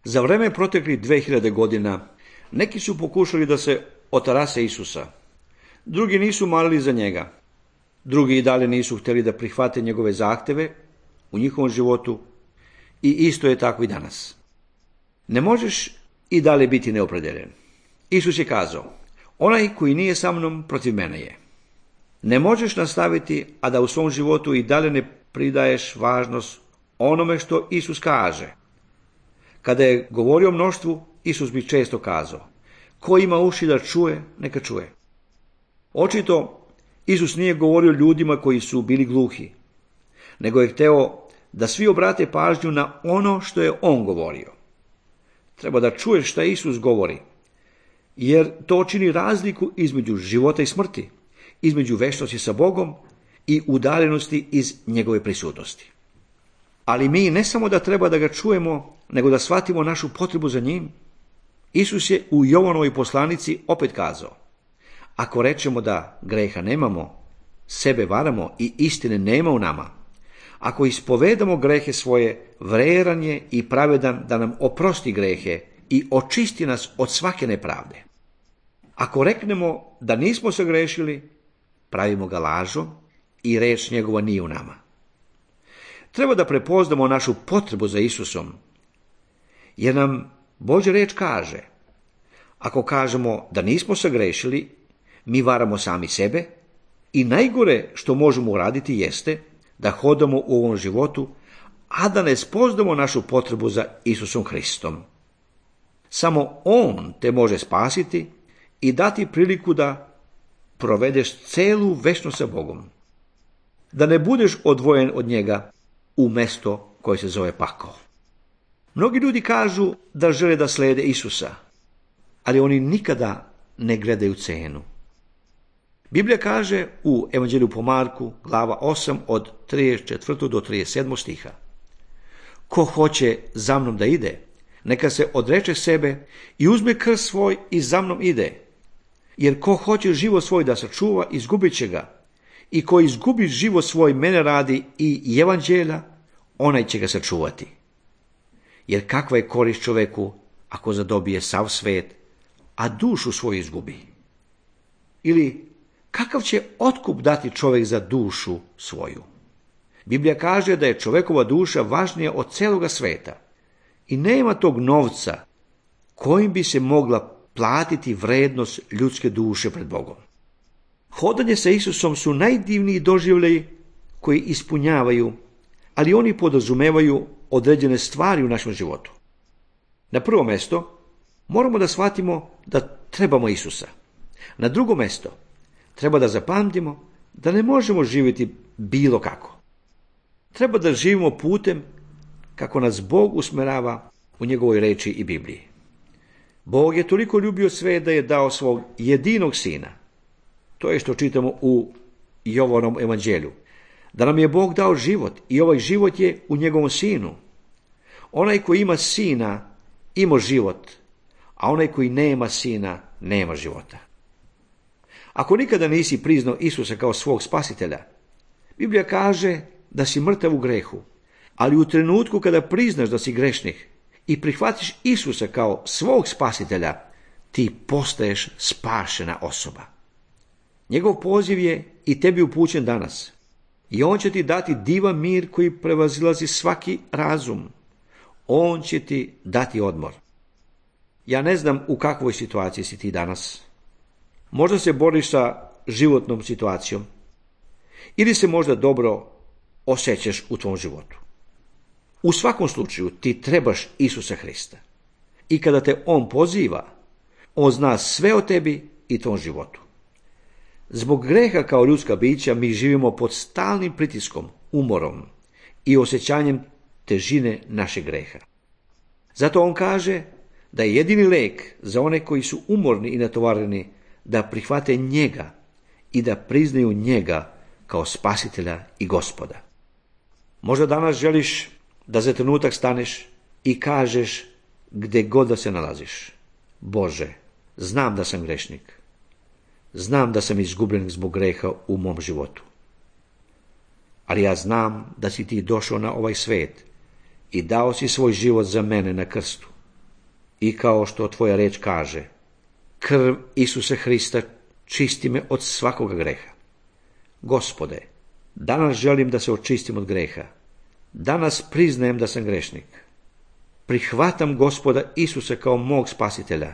Za vreme proteklih 2000 godina neki su pokušali da se otarase Isusa. Drugi nisu molili za njega. Drugi i dalje nisu htjeli da prihvate njegove zahteve u njihovom životu i isto je tako i danas. Ne možeš i dalje biti neopredeljen. Isus je kazao, onaj koji nije sa mnom, protiv mene je. Ne možeš nastaviti, a da u svom životu i dalje ne pridaješ važnost onome što Isus kaže. Kada je govorio o mnoštvu, Isus bi često kazao, ko ima uši da čuje, neka čuje. Očito, Isus nije govorio ljudima koji su bili gluhi, nego je hteo da svi obrate pažnju na ono što je on govorio. Treba da čuješ šta Isus govori, jer to čini razliku između života i smrti, između večnosti sa Bogom i udaljenosti iz njegove prisutnosti. Ali mi ne samo da treba da ga čujemo, nego da shvatimo našu potrebu za njim. Isus je u Jovanovoj poslanici opet kazao, ako rečemo da greha nemamo, sebe varamo i istine nema u nama. Ako ispovedamo grehe svoje, vredan je i pravedan da nam oprosti grehe i očisti nas od svake nepravde. Ako reknemo da nismo sagrešili, pravimo ga lažom i reč njegova nije u nama. Treba da prepoznamo našu potrebu za Isusom, jer nam Božja reč kaže, ako kažemo da nismo sagrešili, mi varamo sami sebe i najgore što možemo uraditi jeste da hodamo u ovom životu, a da ne spoznamo našu potrebu za Isusom Hristom. Samo On te može spasiti i dati priliku da provedeš celu večnost sa Bogom. Da ne budeš odvojen od njega u mesto koje se zove pakao. Mnogi ljudi kažu da žele da slede Isusa, ali oni nikada ne gledaju cenu. Biblija kaže u Evanđelju po Marku, glava 8, od 34. do 37. stiha. Ko hoće za mnom da ide, neka se odreče sebe i uzme krst svoj i za mnom ide. Jer ko hoće život svoj da sačuva, izgubit će ga. I ko izgubi život svoj mene radi i evanđelja, onaj će ga sačuvati. Jer kakva je korist čoveku ako zadobije sav svet, a dušu svoju izgubi? Ili kakav će otkup dati čovjek za dušu svoju? Biblija kaže da je čovekova duša važnija od celoga sveta i nema tog novca kojim bi se mogla platiti vrednost ljudske duše pred Bogom. Hodanje sa Isusom su najdivniji doživljaji koji ispunjavaju, ali oni podrazumevaju određene stvari u našem životu. Na prvo mesto moramo da shvatimo da trebamo Isusa. Na drugo mesto treba da zapamtimo da ne možemo živjeti bilo kako. Treba da živimo putem kako nas Bog usmerava u njegovoj reči i Bibliji. Bog je toliko ljubio sve da je dao svog jedinog sina. To je što čitamo u Jovanom evanđelju. Da nam je Bog dao život i ovaj život je u njegovom sinu. Onaj koji ima sina ima život, a onaj koji nema sina nema života. Ako nikada nisi priznao Isusa kao svog spasitelja, Biblija kaže da si mrtav u grehu, ali u trenutku kada priznaš da si grešnik i prihvatiš Isusa kao svog spasitelja, ti postaješ spašena osoba. Njegov poziv je i tebi upućen danas i on će ti dati divan mir koji prevazilazi svaki razum. On će ti dati odmor. Ja ne znam u kakvoj situaciji si ti danas. Možda se boriš sa životnom situacijom ili se možda dobro osjećaš u tvom životu. U svakom slučaju ti trebaš Isusa Hrista. I kada te on poziva, on zna sve o tebi i tvom životu. Zbog greha kao ljudska bića mi živimo pod stalnim pritiskom, umorom i osjećanjem težine našeg greha. Zato on kaže da je jedini lek za one koji su umorni i natovareni da prihvate njega i da priznaju njega kao spasitelja i Gospoda. Možda danas želiš da za trenutak staneš i kažeš gdje god da se nalaziš: Bože, znam da sam grešnik. Znam da sam izgubljen zbog greha u mom životu. Ali ja znam da si ti došao na ovaj svet i dao si svoj život za mene na krstu. I kao što tvoja reč kaže, krv Isusa Hrista čisti me od svakoga greha. Gospode, danas želim da se očistim od greha. Danas priznajem da sam grešnik. Prihvatam Gospoda Isusa kao mog spasitelja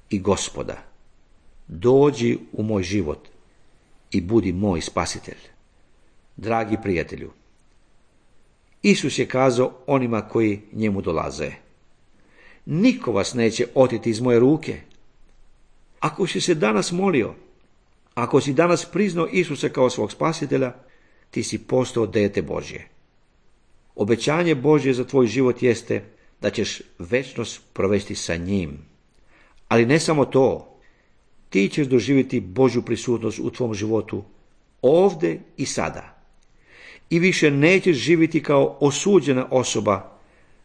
i Gospoda. Dođi u moj život i budi moj spasitelj. Dragi prijatelju, Isus je kazao onima koji njemu dolaze: niko vas neće oteti iz moje ruke. Ako si se danas molio, ako si danas priznao Isusa kao svog spasitelja, ti si postao dijete Božje. Obećanje Božje za tvoj život jeste da ćeš večnost provesti sa njim. Ali ne samo to, ti ćeš doživjeti Božju prisutnost u tvom životu ovdje i sada. I više nećeš živjeti kao osuđena osoba,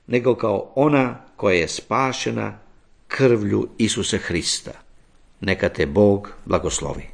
nego kao ona koja je spašena krvlju Isusa Hrista. Neka te Bog blagoslovi.